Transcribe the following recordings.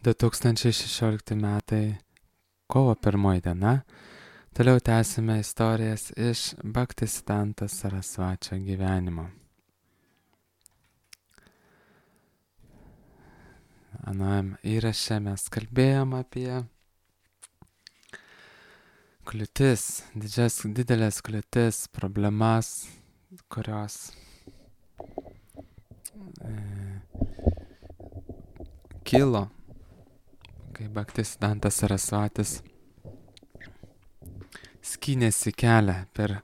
2016 metai, kovo 1 diena. Toliau tęsime istorijas iš Bhaktisiddhanta Sarasvačio gyvenimo. Anam įraše mes kalbėjom apie kliūtis, didelės kliūtis, problemas, kurios kilo, kai Bhaktisiddhantas Sarasvatis skynėsi kelią per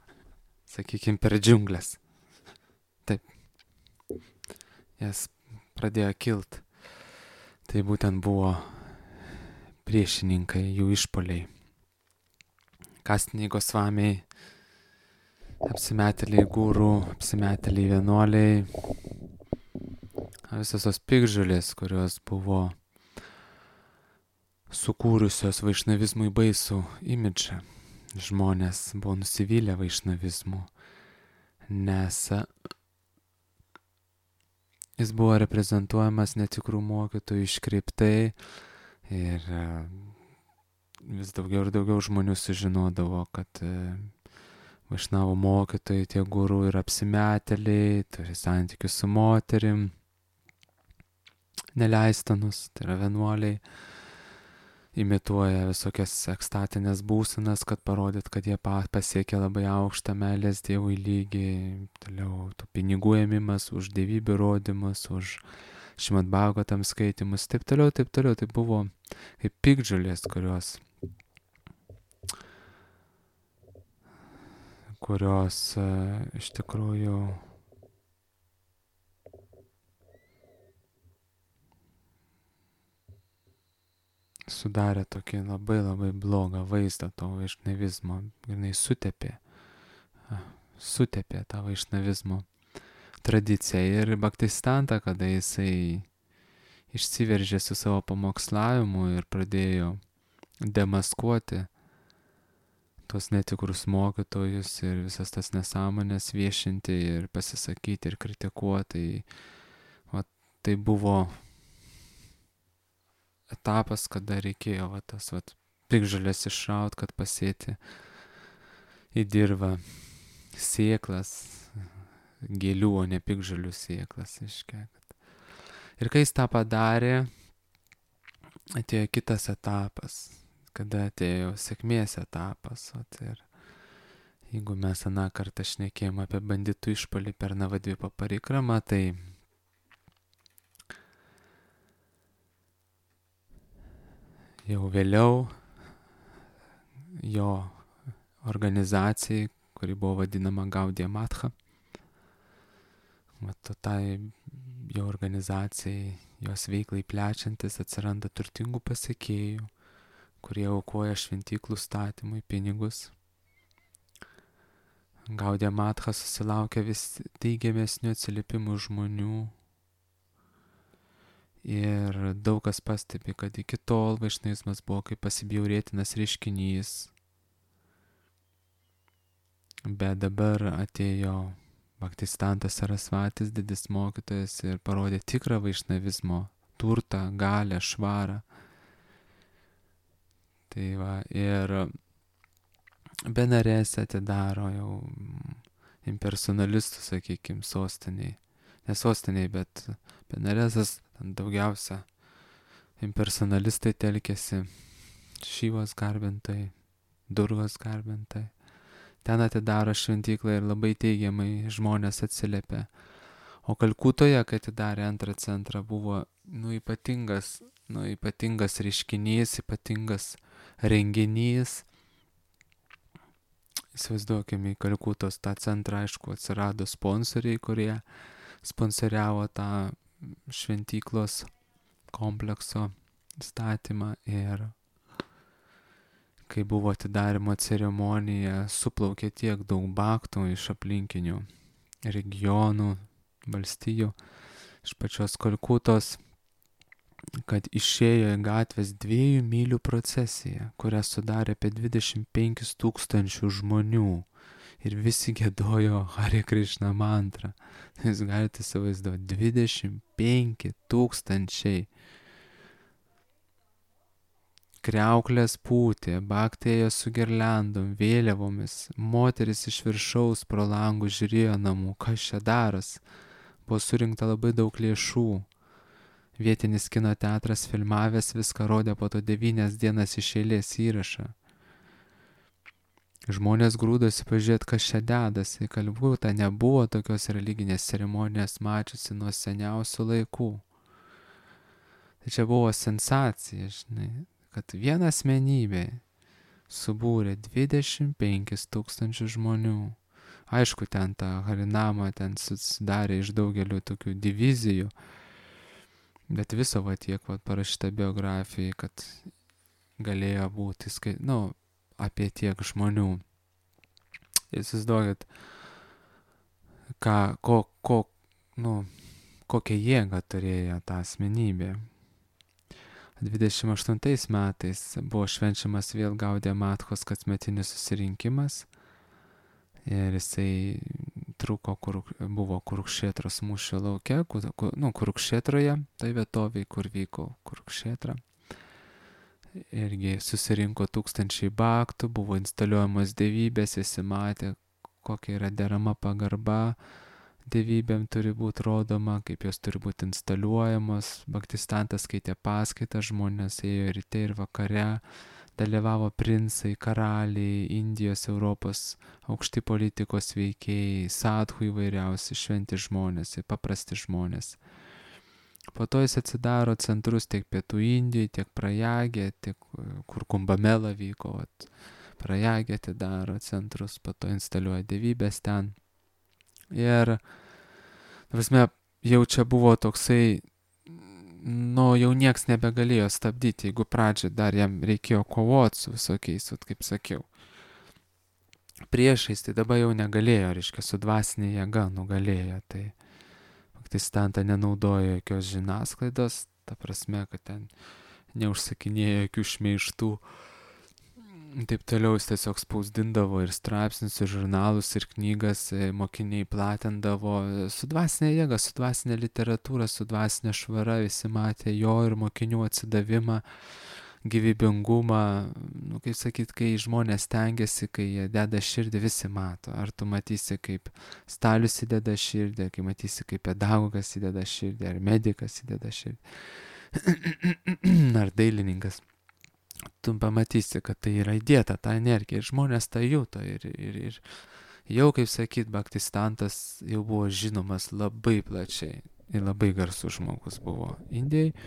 džiunglės. Taip, jas pradėjo kilt. Tai būtent buvo priešininkai, jų išpoliai. Kastiniai Gosvamiai, apsimetėliai gūrų, apsimetėliai vienuoliai, visos tos piktžolės, kurios buvo sukūrusios vaišnavizmui baisų imidžą. Žmonės buvo nusivylę vaišnavizmu, nes jis buvo reprezentuojamas netikrų mokytojų iškreiptai ir vis daugiau ir daugiau žmonių sužinodavo, kad vaišnavo mokytojai, tie gurų ir apsimetėliai, turi santykius su moterim, neleistanus, tai yra vienuoliai, imituoja visokias ekstatinės būsenas, kad parodyt, kad jie pasiekė labai aukštą meilės Dievui lygį, toliau tų pinigų ėmimas už dievybių rodymus, už Šrimad Bhagavatam skaitimus, taip toliau. Tai buvo kaip piktžolės, kurios iš tikrųjų sudarė tokį labai labai blogą vaizdą to vaišnavizmo. Ir jinai sutepė tą vaišnavizmo tradiciją. Ir Bhaktisiddhanta, kada jisai išsiveržė su savo pamokslavimu ir pradėjo demaskuoti tuos netikrus mokytojus ir visas tas nesąmonės viešinti ir pasisakyti ir kritikuoti, tai buvo etapas, kada reikėjo tas piktžolės išraut, kad pasėti į dirvą sėklas, gėlių, o ne piktžolių sėklas. Ir kai jis tą padarė, atėjo kitas etapas, kada atėjo sėkmės etapas. Ir jeigu mes aną kartą šnekėjom apie banditų išpuolį per Navadvipa parikramą, tai jau vėliau jo organizacijai, kuri buvo vadinama Gaudiya Matha, tai jo organizacijai, jos veiklai plečiantis, atsiranda turtingų pasekėjų, kurie aukoja šventyklų statymui pinigus. Gaudiya Matha susilaukia vis teigiamesnių atsiliepimų žmonių. Ir daug kas pastebi, kad iki tol vaišnavizmas buvo kaip pasibjaurėtinas reiškinys. Bet dabar atėjo Bhaktisiddhantas Sarasvatis, didis mokytojas, ir parodė tikrą vaišnavizmo turtą, galią, švarą. Tai ir Benarese atidaro jau impersonalistų, sakykime, sostiniai. Ne sostiniai, bet Benaresas daugiausia impersonalistai telkėsi, Šivos garbintai, Durgos garbintai. Ten atidaro šventyklą ir labai teigiamai žmonės atsiliepia. O Kalkutoje, kai atidarė antrą centrą, buvo ypatingas reiškinys, ypatingas renginys. Įsivaizduokime, į Kalkutos tą centrą, aišku, atsirado sponsoriai, kurie sponsoriavo tą šventyklos komplekso statymą. Ir kai buvo atidarimo ceremonija, suplaukė tiek daug bhaktų iš aplinkinių regionų, valstijų, iš pačios Kalkutos, kad išėjo į gatvės 2 mylių procesiją, kurią sudarė apie 25 000 žmonių. Ir visi giedojo Hare Krishna mantrą. Jūs galite įsivaizduoti, 25 000 kriauklės pūtė, Bhakti ėjo su girliandom, vėliavomis, moteris iš viršaus pro langus žiūrėjo namų, kas čia daras. Buvo surinkta labai daug lėšų. Vietinis kino teatras filmavęs viską rodė po to 9 dienas iš eilės įrašą. Žmonės grūdosi pažiūrėti, kas čia dedasi. Kalbūta nebuvo tokios religinės ceremonijos mačiusi nuo seniausių laikų. Tai čia buvo sensacija, žinai, kad viena asmenybė subūrė 25 000 žmonių. Aišku, ten ta Harinama ten susidarė iš daugelių tokių divizijų, bet viso va tiek va parašyta biografijai, kad galėjo būti, apie tiek žmonių. Įsivaizduokit, kokią jėgą turėjo ta asmenybė. 28 metais buvo švenčiamas vėl Gaudija Matkos kasmetinis susirinkimas ir jisai truko, buvo Kurukšėtros mūšio lauke, Kurukšėtroje, tai vietovėje, kur vyko Kurukšėtra. Irgi susirinko 1000 bhaktų, buvo instaliuojamos dievybės, visi matė, kokia yra derama pagarba dievybėm turi būti rodoma, kaip jos turi būti instaliuojamos. Bhaktistantas skaitė paskaitą, žmonės ėjo ryte ir vakare, dalyvavo princai, karaliai, Indijos, Europos, aukšti politikos veikėjai, sadhų įvairiausi, šventi žmonės, paprasti žmonės. Po to jis atsidaro centrus tiek Pietų Indijoje, tiek Prajagė, tiek kur Kumbamela vyko, Prajagė atidaro centrus, po to instaliuoja dievybės ten. Ir, prasme, jau čia buvo toksai, jau nieks nebegalėjo stabdyti, jeigu pradžiai dar jam reikėjo kovoti su visokiais, kaip sakiau, priešais, tai dabar jau negalėjo, reiškia, su dvasinė jėga nugalėjo, tai Bhaktistanta nenaudojo jokios žiniasklaidos, ta prasme, kad ten neužsakinėjo jokių šmeižtų, taip toliau jis tiesiog spausdindavo ir straipsnius, ir žurnalus, ir knygas, mokiniai platindavo su dvasinė jėga, su dvasinė literatūra, su dvasinė švara, visi matė jo ir mokinių atsidavimą, gyvybingumą, kaip sakyt, kai žmonės stengiasi, kai jie deda širdį, visi mato. Ar tu matysi, kaip Stalius įdeda širdį, ar kai matysi, kaip pedagogas įdeda širdį, ar medikas įdeda širdį, ar dailininkas. Tu pamatysi, kad tai yra įdėta, ta energija, ir žmonės tą juto. Ir jau, kaip sakyt, Bhaktistantas jau buvo žinomas labai plačiai ir labai garsus žmogus buvo Indijai.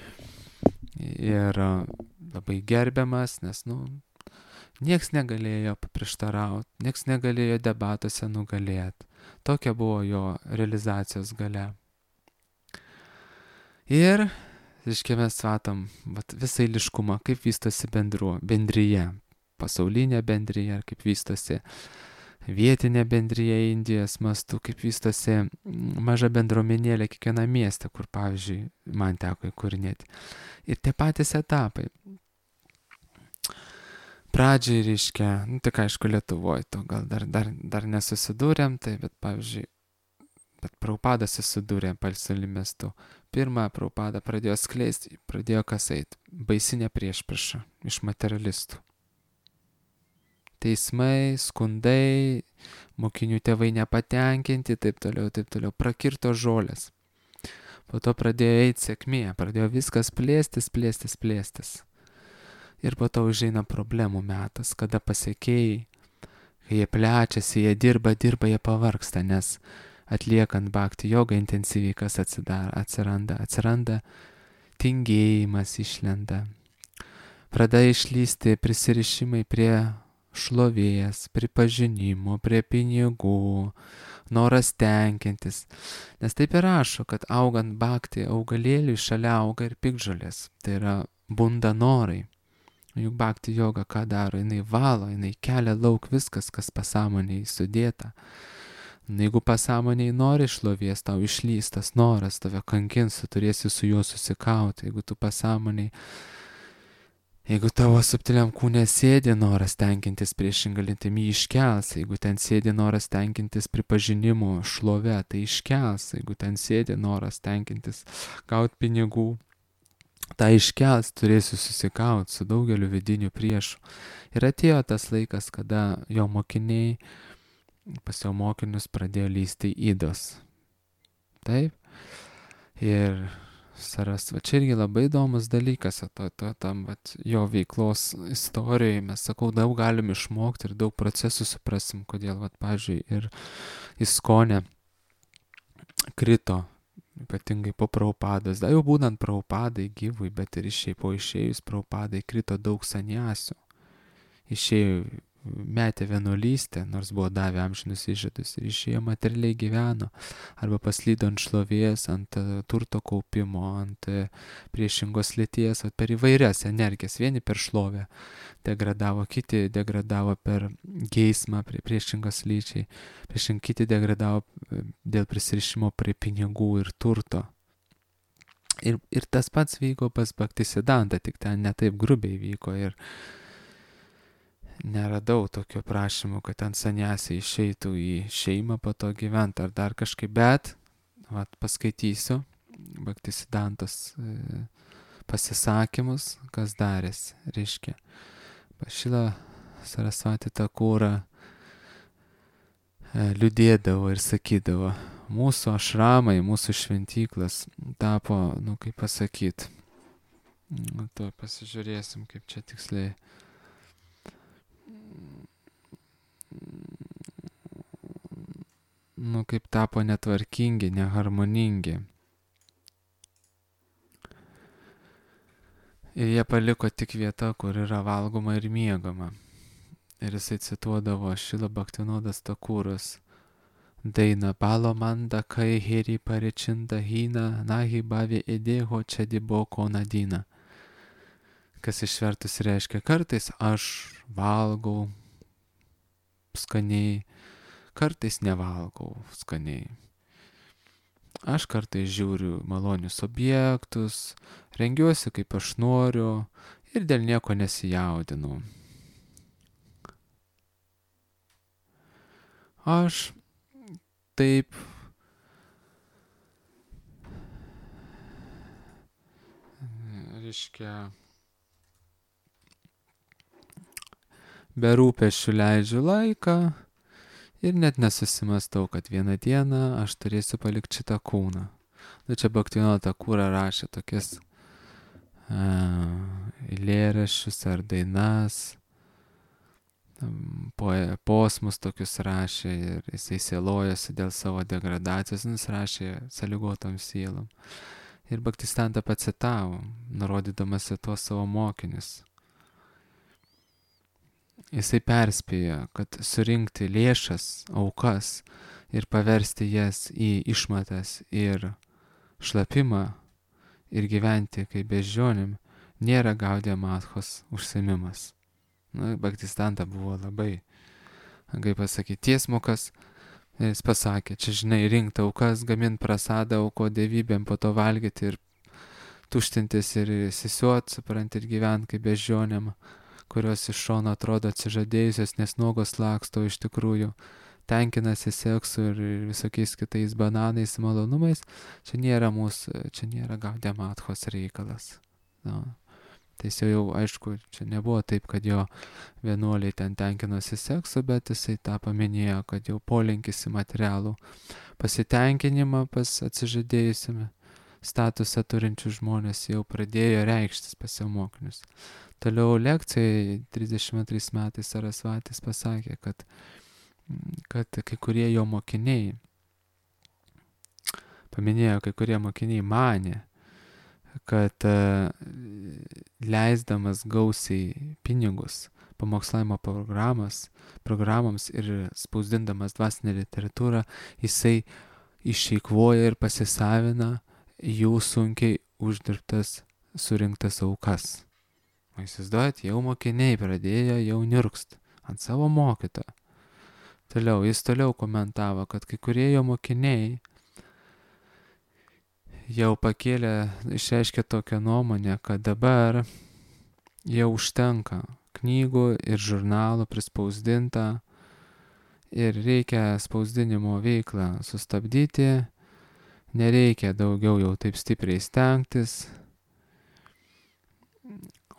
Ir labai gerbiamas, nes, nieks negalėjo paprieštarauti, nieks negalėjo debatuose nugalėti. Tokia buvo jo realizacijos galia. Ir, reiškia, mes matom visą eiliškumą, kaip vystosi bendryje, pasaulinė bendryje, kaip vystosi vietinė bendryje Indijos mastu, kaip vystosi maža bendruomenėlė kiekviena mieste, kur, pavyzdžiui, man teko įkūrinėti. Ir tie patys etapai. Pradžiai, reiškia, tik aišku, Lietuvoje to gal dar nesusidūrėm, tai, bet, pavyzdžiui, Prabhupada susidūrė Palsali miestu. Pirmą Prabhupada pradėjo skleisti, pradėjo kas eit, baisinė priešprieša iš materialistų. Teismai, skundai, mokinių tėvai nepatenkinti, taip toliau, prakirto žolės. Po to pradėjo eiti sėkmė, pradėjo viskas plėstis. Ir po to užeina problemų metas, kada pasekėjai, kai jie plečiasi, jie dirba, jie pavargsta, nes atliekant bhakti jogą intensyviai kas atsiranda tingėjimas išlenda. Pradeda išlysti prisirišimai prie šlovės, pripažinimo, prie pinigų, noras tenkintis. Nes taip ir rašo, kad augant bhakti augalėliui šalia auga ir piktžolės. Tai yra bunda norai. Juk bhakti joga ką daro? Jinai valo, jinai kelia lauk viskas, kas pasąmonėje sudėta. Jeigu pasąmonėje nori šlovės, tau išlys tas noras, tave kankins, tu turėsi su juo susikauti. Jeigu tavo subtiliam kūne sėdi noras tenkintis priešingą lytimi, iškels. Jeigu ten sėdi noras tenkintis pripažinimu, šlove, tai iškels. Jeigu ten sėdi noras tenkintis gauti pinigų, tą iškels, turėsiu susikaut su daugeliu vidinių priešų. Ir atėjo tas laikas, kada jo mokiniai, pas jo mokinius pradėjo lysti ydos. Taip. Ir Sarasva, čia irgi labai įdomus dalykas, tam jo veiklos istorijoje mes, sakau, daug galim išmokti ir daug procesų suprasim, kodėl, pavyzdžiui, ir Iskone krito, ypatingai po Prabhupados, jau būnant Prabhupadai gyvui, bet ir po išėjus Prabhupadai krito daug saniasių. Išėjo, metė vienuolystę, nors buvo davę amžinus įžadus, ir išėjo materialiai gyveno, arba paslydo ant šlovės, ant turto kaupimo, ant priešingos lyties, per įvairias energijas. Vieni per šlovę degradavo, kiti degradavo per geismą priešingos lyčiai, kiti degradavo dėl prisirišimo prie pinigų ir turto. Ir tas pats vyko pas Bhaktisiddhantą, tik ten netaip grubiai vyko ir neradau tokio prašymo, kad ten saniasiai išeitų į šeimą po to gyventi ar dar kažkaip, bet paskaitysiu Bhaktisiddhantos pasisakymus, kas darėsi, reiškia. Šila Sarasvati Thakura liūdėdavo ir sakydavo, mūsų ašramai, mūsų šventyklas tapo, kaip pasakyt, to pasižiūrėsim, kaip čia tiksliai. Kaip tapo netvarkingi, neharmoningi. Ir jie paliko tik vietą, kur yra valgoma ir miegama. Ir jisai cituodavo Šila Bhaktivinodas Thakuras dainą Palomanda kai heri parečinda hina nahi bavi edeho čediboko nadina. Kas išvertus reiškia, kartais aš valgau skaniai, kartais nevalgau skaniai. Aš kartais žiūriu malonius objektus, rengiuosi kaip aš noriu ir dėl nieko nesijaudinu. Aš taip reiškia be rūpesčių leidžiu laiką ir net nesusimastau, kad vieną dieną aš turėsiu palikti šitą kūną. Čia Bhaktivinoda Thakura rašė tokias eilėraščius ar dainas, posmus tokius rašė ir jisai sielojosi dėl savo degradacijos, jis rašė sąlygotom sielom. Ir Bhaktisiddhanta pacitavo, nurodydamas į tuos savo mokinius. Jisai perspėjo, kad surinkti lėšas, aukas ir paversti jas į išmatas ir šlapimą ir gyventi kaip beždžionėm nėra Gaudiya Madhos užsiėmimas. Bhaktisiddhanta buvo labai, kaip pasakyti, tiesmukas. Jis pasakė, čia žinai, rinkti aukas, gaminti prasadą, auko dievybėm, po to valgyti ir tuštintis ir sisiuot, supranti, ir gyventi kaip beždžionėm, kurios iš šono atrodo atsižadėjusios, nes nuogos laksto, iš tikrųjų tenkinasi seksu ir visokiais kitais bananais, malonumais. Čia nėra Gaudiya Madhos reikalas. Tai jis jau, aišku, čia nebuvo taip, kad jo vienuoliai ten tenkinosi seksu, bet jisai tą paminėjo, kad jau polinkis į materialų pasitenkinimą pas atsižadėjusiame statusą turinčių žmonės jau pradėjo reikštis pas jo mokinius. Toliau lekcijai 32 metais Sarasvatis pasakė, kad kai kurie jo mokiniai, paminėjo, kai kurie mokiniai manė, kad leisdamas gausiai pinigus pamokslavimo programoms ir spausdindamas dvasinę literatūrą, jisai išeikvoja ir pasisavina jų sunkiai uždirbtas, surinktas aukas. Įsivaizduojat, jau mokiniai pradėjo jau niurkst ant savo mokytojo. Jis toliau komentavo, kad kai kurie jo mokiniai jau išreiškė tokią nuomonę, kad dabar jau užtenka knygų ir žurnalų prispausdinta ir reikia spausdinimo veiklą sustabdyti, nereikia daugiau jau taip stipriai stengtis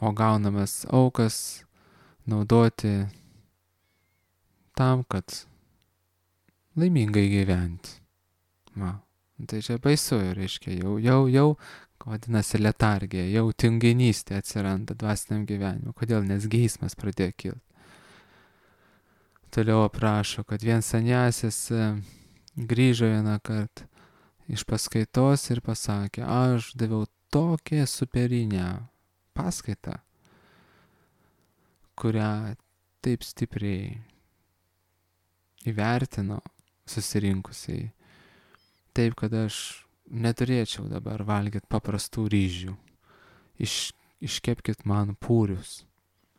o gaunamas aukas naudoti tam, kad laimingai gyventi. Va. Tai čia baisu, reiškia, jau, vadinasi, letargija, jau tinginystė atsiranda dvasiniam gyvenimui. Kodėl? Nes geismas pradėjo kilti. Toliau aprašo, kad vien sanjasis grįžo vieną kartą iš paskaitos ir pasakė, aš daviau tokią superinę paskaitą, kurią taip stipriai įvertino susirinkusiai, taip, kad aš neturėčiau dabar valgyti paprastų ryžių. Iškepkit man pūrius.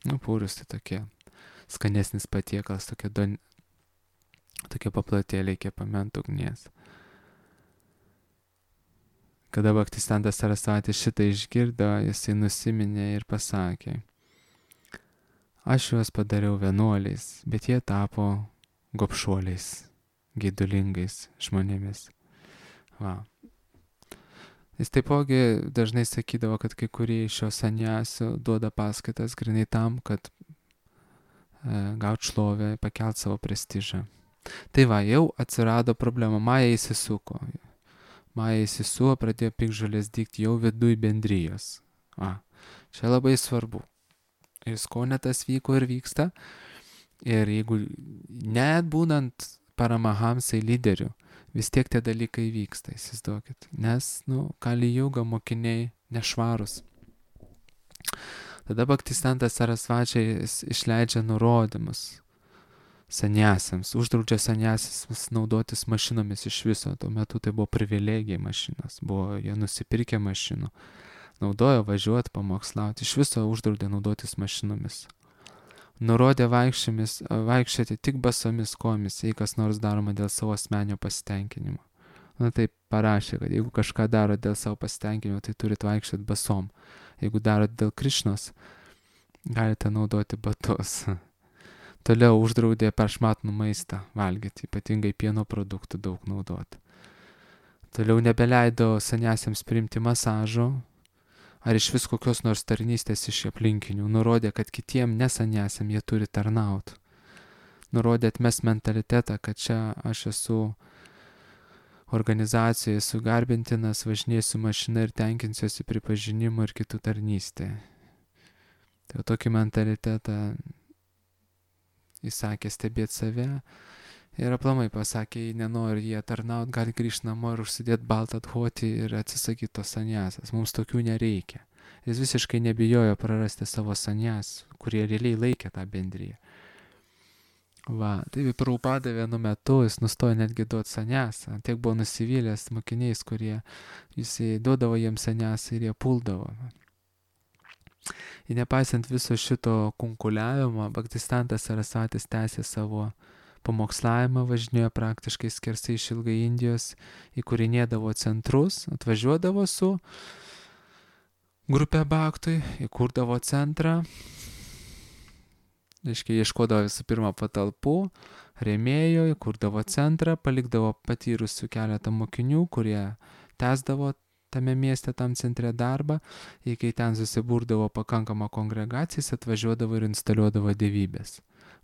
Pūrius tai tokie skanesnis patiekalas, tokie paplatėliai kepami ant ugnies. Kada Bhaktisiddhantas Sarasvati šitą išgirdo, jisai nusiminė ir pasakė, aš juos padariau vienuoliais, bet jie tapo gobšuoliais, geidulingais žmonėmis. Va. Jis taipogi dažnai sakydavo, kad kai kurie iš šio sanjasių duoda paskaitas grinai tam, kad gauti šlovę, pakelt savo prestižą. Tai va, jau atsirado problema, Maja įsisuko. Pradėjo piktžolės dygti jau viduj bendrijos. Čia labai svarbu. Ir skonetas vyko ir vyksta. Ir jeigu net būnant paramahamsai lyderių, vis tiek tie dalykai vyksta, įsivaizduokit. Nes, Kali Juga mokiniai nešvarus. Tada Bhaktisiddhantas Sarasvačiai išleidžia nurodymus sanjasiams, uždraudžia sanjasiams naudotis mašinomis iš viso. Tuo metu tai buvo privilegija mašinos, buvo jie nusipirkę mašinų, naudojo važiuoti, pamokslauti, iš viso uždraudė naudotis mašinomis. Nurodė vaikščioti tik basomis kojomis, jei kas nors daroma dėl savo asmenio pasitenkinimo. Tai parašė, kad jeigu kažką daro dėl savo pasitenkinimo, tai turit vaikščioti basom. Jeigu darot dėl Krišnos, galite naudoti batus. Toliau uždraudė prašmatnų maistą valgyti, ypatingai pieno produktų daug naudoti. Toliau nebeleido sanjasiams priimti masažo, ar iš vis kokios nors tarnystės iš aplinkinių. Nurodė, kad kitiem nesanjasiam jie turi tarnauti. Nurodė atmes mentalitetą, kad čia aš esu organizacijoje sugarbintinas, važinėsiu mašiną ir tenkinsiuosi pripažinimu ir kitų tarnystė. Tai tokį mentalitetą įsakė stebėti save ir aplamai pasakė, jei nenori jie tarnauti, gali grįžti namo ir užsidėti baltą dhoti ir atsisakyti tos sanjasas. Mums tokių nereikia. Jis visiškai nebijojo prarasti savo sanjas, kurie realiai laikė tą bendriją. Va, tai Prabhupada vienu metu jis nustojo netgi duoti sanjasą. Tiek buvo nusivylęs mokiniais, kurie jisai duodavo jiems sanjasą ir jie puldavo. Ir nepaisant viso šito kunkuliavimo, Bhaktisiddhantas Sarasvatis tęsė savo pamokslavimą, važinėjo praktiškai skersai išilgai Indijos, įkūrinėdavo centrus, atvažiuodavo su grupė bhaktui, įkurdavo centrą, ieškodavo visų pirma patalpų, rėmėjo, įkurdavo centrą, palikdavo patyrusių keletą mokinių, kurie tęsdavo tame mieste, tam centre darbą, ir kai ten susiburdavo pakankama kongregacija, jis atvažiuodavo ir instaliuodavo dievybės.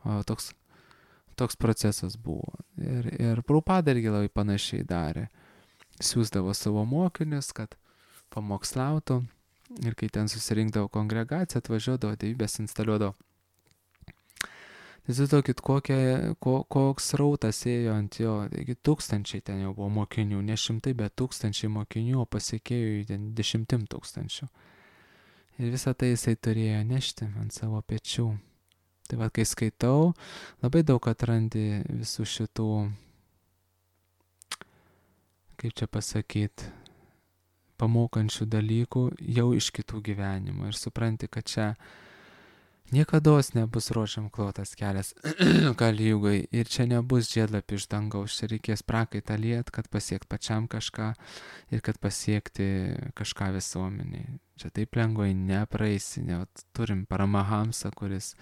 O toks procesas buvo. Ir Prabhupada irgi labai panašiai darė. Siųsdavo savo mokinius, kad pamokslautų, ir kai ten susirinkdavo kongregacija, atvažiuodavo dievybės, instaliuodavo. Įsivaizduokit, koks rautas ėjo ant jo, taigi tūkstančiai ten jau buvo mokinių, ne šimtai, bet tūkstančiai mokinių, o pasiekėjų ten 10 000. Ir visą tai jisai turėjo nešti ant savo pečių. Tai va, kai skaitau, labai daug atrandi visų šitų, kaip čia pasakyti, pamokančių dalykų jau iš kitų gyvenimų. Ir supranti, kad čia niekados nebus rožiam klotas kelias Kali Jugai ir čia nebus žiedlapių iš dangaus, čia reikės prakaitą liet, kad pasiekt pačiam kažką ir kad pasiekti kažką visuomeniai. Čia taip lengvai nepraeisi, turim Paramahamsą, kuris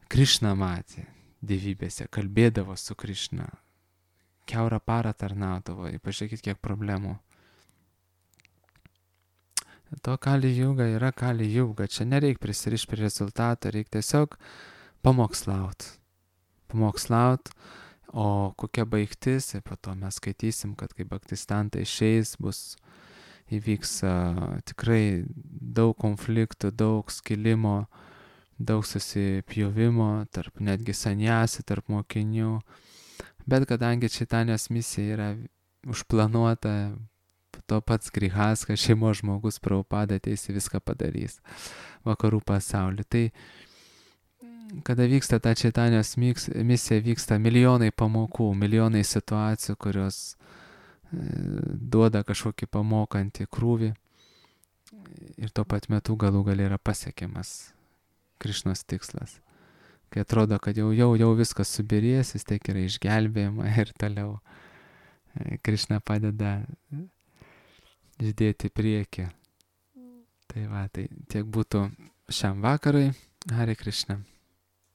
Krišną matė dievybėse, kalbėdavo su Krišna, kiaurą parą tarnaudavo, pažiūrėkit, kiek problemų To Kali Juga yra Kali Juga. Čia nereik prisirišti prie rezultato, reikia tiesiog pamokslaut. Pamokslaut, o kokia baigtis, ir po to mes skaitysim, kad kai baptistantai išeis, įvyks tikrai daug konfliktų, daug skilimo, daug susipjovimo, tarp netgi sanjasi, tarp mokinių. Bet kadangi Čaitanijos misija yra užplanuota, to pats Grihaskas, šeimos žmogus, Prabhupada ateis ir viską padarys vakarų pasaulyje. Tai kada vyksta ta Čaitanijos misija, vyksta milijonai pamokų, milijonai situacijų, kurios duoda kažkokį pamokantį krūvį ir tuo pat metu galų gali yra pasiekiamas Krišnos tikslas. Kai atrodo, kad jau viskas subirės, vis tiek yra išgelbėjama ir toliau Krišna padeda judėti į priekį. Tai va, tai tiek būtų šiam vakarui. Hare Krishna.